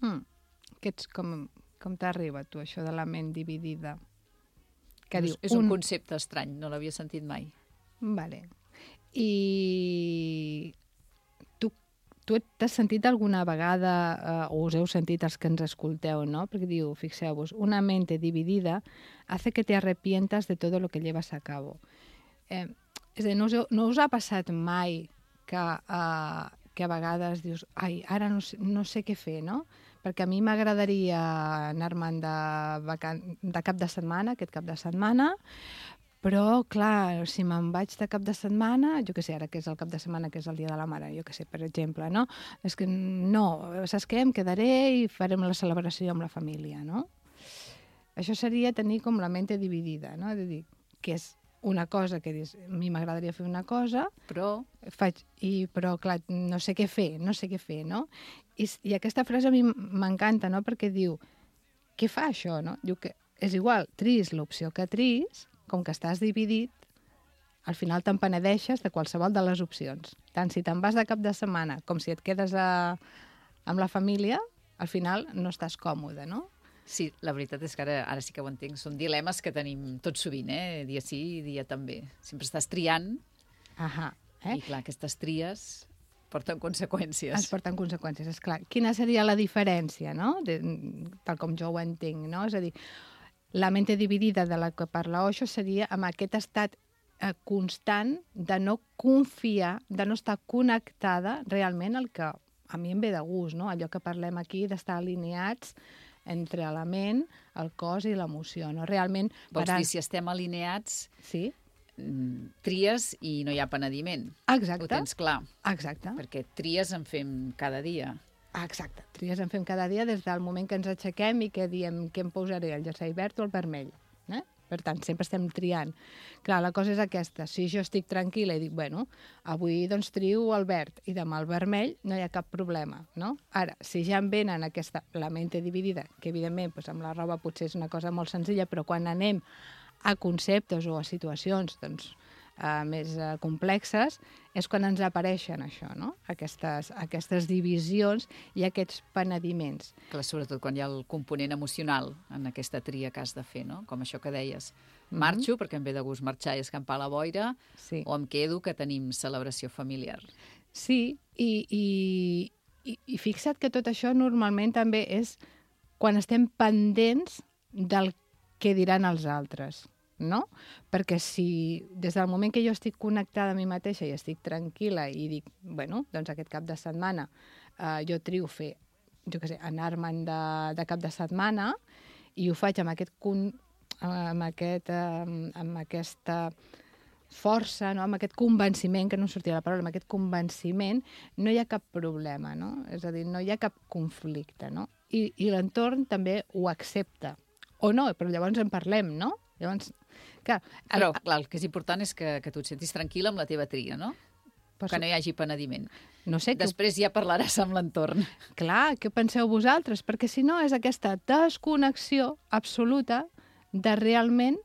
Com t'arriba, tu, això de la ment dividida? Que diu, és un concepte estrany, no l'havia sentit mai. Vale. I tu t'has sentit alguna vegada, o us heu sentit els que ens escolteu, no? Perquè diu, fixeu-vos, una mente dividida hace que te arrepientas de todo lo que llevas a cabo. És a dir, no us ha passat mai que a vegades dius, ai, ara no sé què fer, no? Perquè a mi m'agradaria anar-me'n de cap de setmana, aquest cap de setmana, però, clar, si me'n vaig de cap de setmana, jo què sé, ara que és el cap de setmana, que és el dia de la mare, jo què sé, per exemple, no? És que no, saps què? Em quedaré i farem la celebració amb la família, no? Això seria tenir com la mente dividida, no? És a dir, que és una cosa que dius, a mi m'agradaria fer una cosa, però clar, no sé què fer, no? I aquesta frase a mi m'encanta, no? Perquè diu, què fa això, no? Diu que és igual, tris l'opció que tris, com que estàs dividit, al final te'n penedeixes de qualsevol de les opcions. Tant si te'n vas de cap de setmana com si et quedes amb la família, al final no estàs còmode, no? Sí, la veritat és que ara sí que ho entenc. Són dilemes que tenim tot sovint, dia sí i dia també. Sempre estàs triant i, clar, aquestes tries porten conseqüències. Es porten conseqüències, és clar. Quina seria la diferència, no? Tal com jo ho entenc, no? És a dir, la mente dividida de la que parla Osho seria amb aquest estat constant de no confiar, de no estar connectada realment al que a mi em ve de gust, no? Allò que parlem aquí d'estar alineats entre la ment, el cos i l'emoció, no? Realment... Vols dir, si estem alineats, sí, tries i no hi ha penediment. Exacte. Ho tens clar. Exacte. Perquè tries en fem cada dia. Exacte. Tries en fem cada dia des del moment que ens aixequem i que diem què em posaré, el jersei verd o el vermell. Per tant, sempre estem triant. Clar, la cosa és aquesta. Si jo estic tranquil·la i dic, bueno, avui doncs trio el verd i demà el vermell, no hi ha cap problema, no? Ara, si ja em venen la mente dividida, que evidentment doncs, amb la roba potser és una cosa molt senzilla, però quan anem a conceptes o a situacions doncs, més complexes, és quan ens apareixen això, no? Aquestes divisions i aquests penediments. Clar, sobretot quan hi ha el component emocional en aquesta tria que has de fer, no? Com això que deies. Marxo, perquè em ve de gust marxar i escampar la boira, sí. O em quedo, que tenim celebració familiar. Sí, i fixa't que tot això normalment també és quan estem pendents del que diran els altres, no? Perquè si des del moment que jo estic connectada a mi mateixa i estic tranquil·la i dic, bueno, doncs aquest cap de setmana jo trio fer, jo què sé, anar-me'n de cap de setmana i ho faig amb aquesta força, no? Amb aquest convenciment, que no sortia la paraula, amb aquest convenciment, no hi ha cap problema, no? És a dir, no hi ha cap conflicte, no? I l'entorn també ho accepta. O no, però llavors en parlem, no? Llavors, clar, però clar, el que és important és que tu et sentis tranquil·la amb la teva tria, no? Que no hi hagi penediment. No sé, després ja parlaràs amb l'entorn. Clar, què penseu vosaltres? Perquè si no és aquesta desconnexió absoluta de realment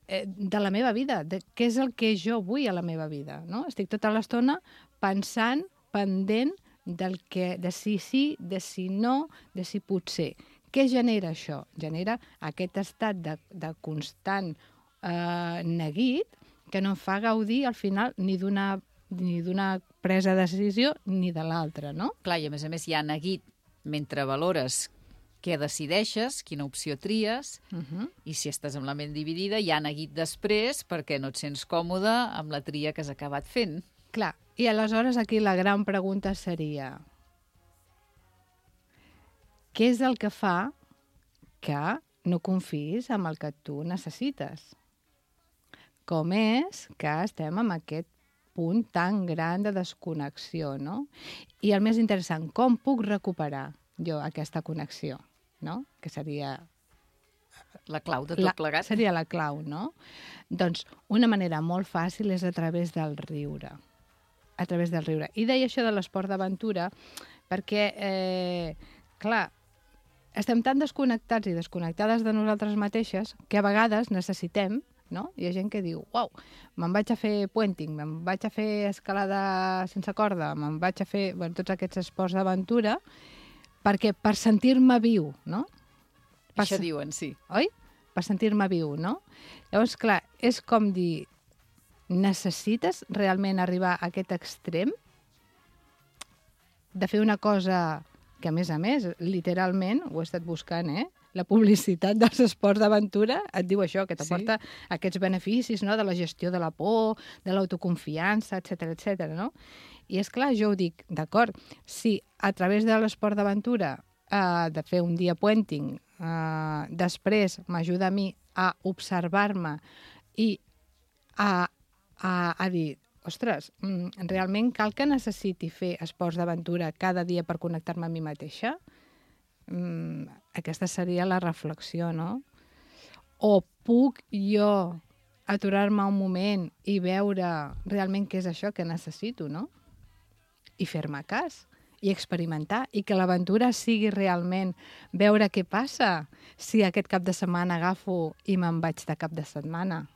de la meva vida, de què és el que jo vull a la meva vida, no? Estic tota l'estona pensant, pendent de si sí, de si no, de si potser. Què genera això? Genera aquest estat de constant neguit que no em fa gaudir al final ni d'una presa de decisió ni de l'altra, no? Clar, i a més hi ha neguit mentre valores què decideixes, quina opció tries, i si estàs amb la ment dividida, hi ha neguit després perquè no et sents còmode amb la tria que has acabat fent. Clar, i aleshores aquí la gran pregunta seria: què és el que fa que no confiïs en el que tu necessites? Com és que estem en aquest punt tan gran de desconnexió, no? I el més interessant, com puc recuperar jo aquesta connexió, no? Que seria la clau de tot plegat. Seria la clau, no? Doncs una manera molt fàcil és a través del riure. A través del riure. I deia això de l'esport d'aventura perquè, clar, estem tan desconnectats i desconnectades de nosaltres mateixes que a vegades necessitem, no? Hi ha gent que diu, uau, me'n vaig a fer puenting, me'n vaig a fer escalada sense corda, me'n vaig a fer tots aquests esports d'aventura perquè per sentir-me viu, no? Això diuen, sí. Oi? Per sentir-me viu, no? Llavors, clar, és com dir, necessites realment arribar a aquest extrem de fer una cosa que, a més, literalment, ho he estat buscant, la publicitat dels esports d'aventura et diu això, que t'aporta aquests beneficis, no?, de la gestió de la por, de l'autoconfiança, etc, no? I és clar, jo ho dic, d'acord, si a través de l'esport d'aventura de fer un dia puenting, després m'ajuda a mi a observar-me i a dir, ostres, realment cal que necessiti fer esports d'aventura cada dia per connectar-me a mi mateixa? Aquesta seria la reflexió, no? O puc jo aturar-me un moment i veure realment què és això que necessito, no? I fer-me cas, i experimentar, i que l'aventura sigui realment veure què passa si aquest cap de setmana agafo i me'n vaig de cap de setmana.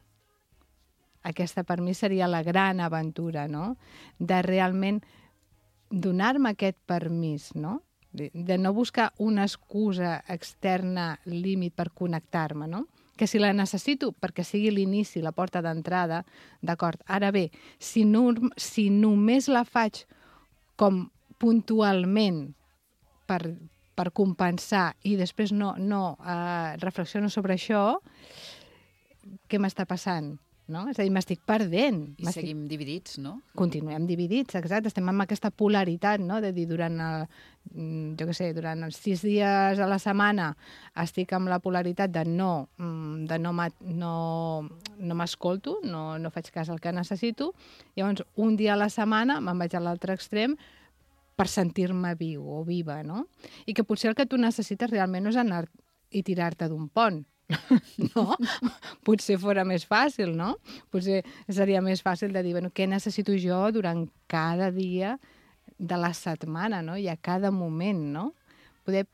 Aquesta per mi seria la gran aventura, no? De realment donar-me aquest permís, no? De no buscar una excusa externa, límit per connectar-me, no? Que si la necessito perquè sigui l'inici, la porta d'entrada, d'acord. Ara bé, si només la faig com puntualment per compensar i després no reflexiono sobre això, què m'està passant? No? És a dir, m'estic perdent. I seguim dividits, no? Continuem dividits, exacte. Estem amb aquesta polaritat, no? De dir, durant els 6 dies a la setmana estic amb la polaritat de no m'escolto, no faig cas al que necessito. Llavors, un dia a la setmana me'n vaig a l'altre extrem per sentir-me viu o viva, no? I que potser el que tu necessites realment no és anar i tirar-te d'un pont, no? Potser fora més fàcil, no? Potser seria més fàcil de dir, bueno, què necessito jo durant cada dia de la setmana, no? I a cada moment, no? Poder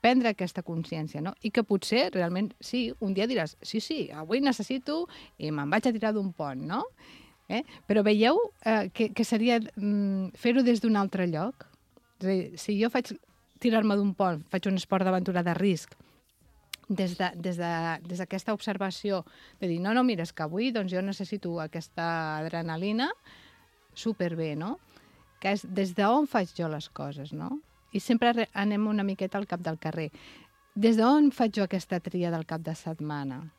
prendre aquesta consciència, no? I que potser, realment, sí, un dia diràs, sí, avui necessito i me'n vaig a tirar d'un pont, no? Però veieu que seria fer-ho des d'un altre lloc? És a dir, si jo faig tirar-me d'un pont, faig un esport d'aventura de risc, des d'aquesta observació de dir, no, mira, és que avui doncs, jo necessito aquesta adrenalina, superbé, no? Que és des d'on faig jo les coses, no? I sempre anem una miqueta al cap del carrer. Des d'on faig jo aquesta tria del cap de setmana,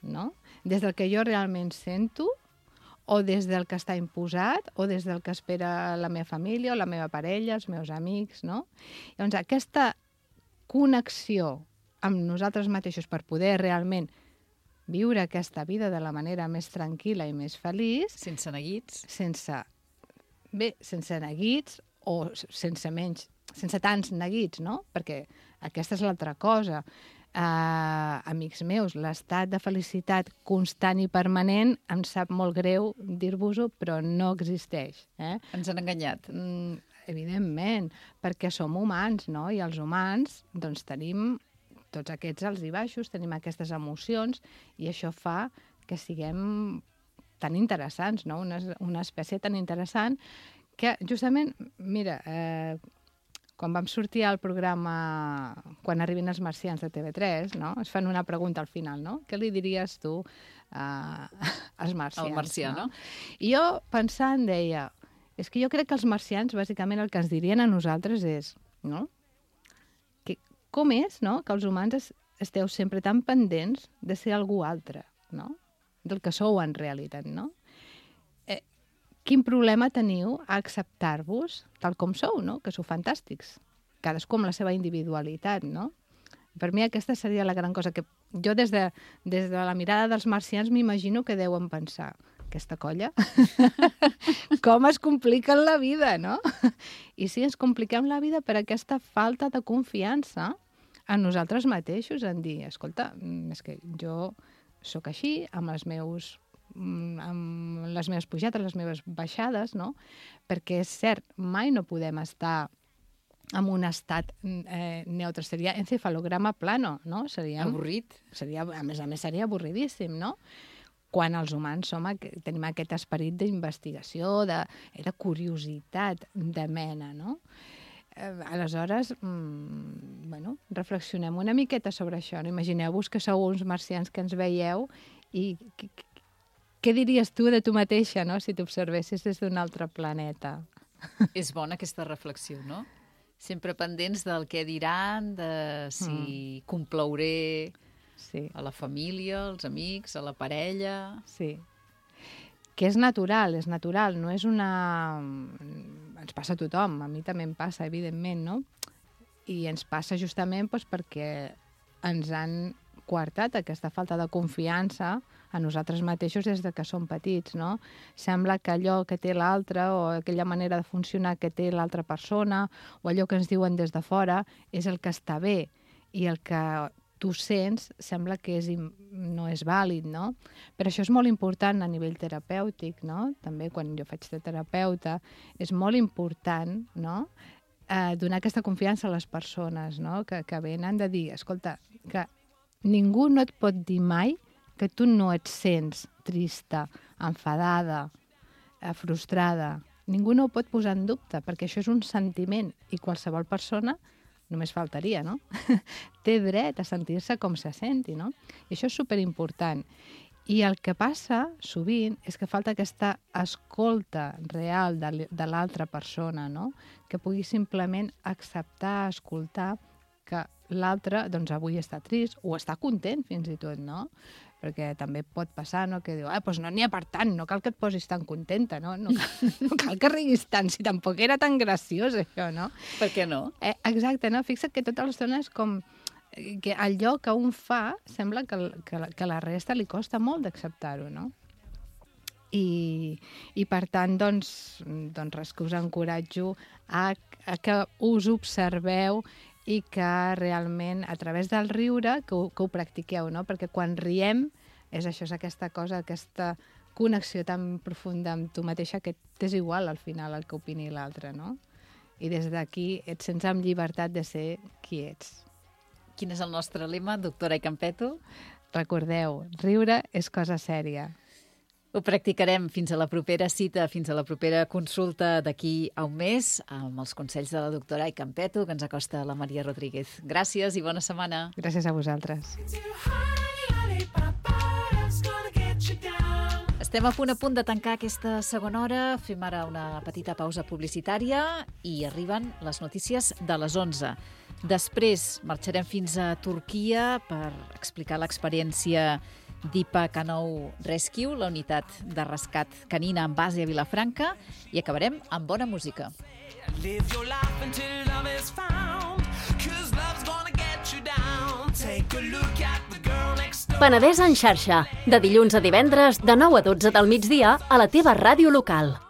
no? Des del que jo realment sento, o des del que està imposat, o des del que espera la meva família, o la meva parella, els meus amics, no? Llavors, aquesta connexió amb nosaltres mateixos per poder realment viure aquesta vida de la manera més tranquil·la i més feliç. Sense neguits. Sense neguits o sense tants neguits, no? Perquè aquesta és l'altra cosa. Amics meus, l'estat de felicitat constant i permanent em sap molt greu dir-vos-ho, però no existeix. Ens han enganyat. Evidentment, perquè som humans, no? I els humans doncs, tenim tots aquests alts i baixos, tenim aquestes emocions i això fa que siguem tan interessants, no? Una espècie tan interessant que justament, mira, quan vam sortir al programa Quan arribin els marcians de TV3, no? Es fan una pregunta al final, no? Què li diries tu als marcians? Al marcià, no? I jo pensant deia, és que jo crec que els marcians bàsicament el que ens dirien a nosaltres és, no? Com és, no?, que els humans esteu sempre tan pendents de ser algú altre, no?, del que sou en realitat, no? Quin problema teniu a acceptar-vos tal com sou, no?, que sou fantàstics, cadascú amb la seva individualitat, no? Per mi aquesta seria la gran cosa, que jo des de la mirada dels marcians m'imagino que deuen pensar, aquesta colla, com es compliquen la vida, no? I sí, ens compliquem la vida per aquesta falta de confiança en nosaltres mateixos, en dir, escolta, és que jo sóc així, amb les meves pujades, les meves baixades, no? Perquè és cert, mai no podem estar en un estat neutre, seria encefalograma plano, no? Avorrit. A més a més, seria avorridíssim, no? Quan els humans tenim aquest esperit d'investigació, de curiositat, de mena, no? Aleshores, reflexionem una miqueta sobre això. Imagineu-vos que sou uns marcians que ens veieu i què diries tu de tu mateixa, no?, si t'observessis des d'un altre planeta? És bona aquesta reflexió, no? Sempre pendents del què diran, de si complauré a la família, als amics, a la parella... Sí. Que és natural, no és una... Ens passa a tothom, a mi també em passa, evidentment, no? I ens passa justament perquè ens han coartat aquesta falta de confiança a nosaltres mateixos des de que som petits, no? Sembla que allò que té l'altre o aquella manera de funcionar que té l'altra persona o allò que ens diuen des de fora és el que està bé i el que tu sents sembla que no és vàlid, no? Però això és molt important a nivell terapèutic, no? També quan jo faig de terapeuta és molt important, no?, donar aquesta confiança a les persones, no?, que venen de dir, escolta, que ningú no et pot dir mai que tu no et sents trista, enfadada, frustrada. Ningú no ho pot posar en dubte, perquè això és un sentiment i qualsevol persona, només faltaria, no?, té dret a sentir-se com se senti, no? I això és superimportant. I el que passa sovint és que falta aquesta escolta real de l'altra persona, no?, que pugui simplement acceptar, escoltar que l'altre, doncs, avui està trist o està content fins i tot, no? Perquè també pot passar, no?, que diu, doncs no n'hi ha per tant, no cal que et posis tan contenta, no? No cal que riguis tant, si tampoc era tan graciós això, no? Per què no? Exacte, no? Fixa't que tota l'estona és com que allò que un fa sembla que la resta li costa molt d'acceptar-ho, no? I per tant, doncs res, que us encoratjo a que us observeu i que realment, a través del riure, que ho practiqueu, no? Perquè quan riem, és això, és aquesta cosa, aquesta connexió tan profunda amb tu mateixa que t'és igual, al final, el que opini l'altre, no? I des d'aquí et sents amb llibertat de ser qui ets. Quin és el nostre lema, doctora Campetto? Recordeu, riure és cosa sèria. Ho practicarem fins a la propera cita, fins a la propera consulta d'aquí a un mes, amb els consells de la doctora Campetto, que ens acosta la Maria Rodríguez. Gràcies i bona setmana. Gràcies a vosaltres. Estem a punt de tancar aquesta segona hora. Fem ara una petita pausa publicitària i arriben les notícies de les 11. Després marxarem fins a Turquia per explicar l'experiència d'IPA Canou Rescue, la unitat de rescat canina en base a Vilafranca, i acabarem amb bona música. Penedès en xarxa, de dilluns a divendres, de 9 a 12 del migdia, a la teva ràdio local.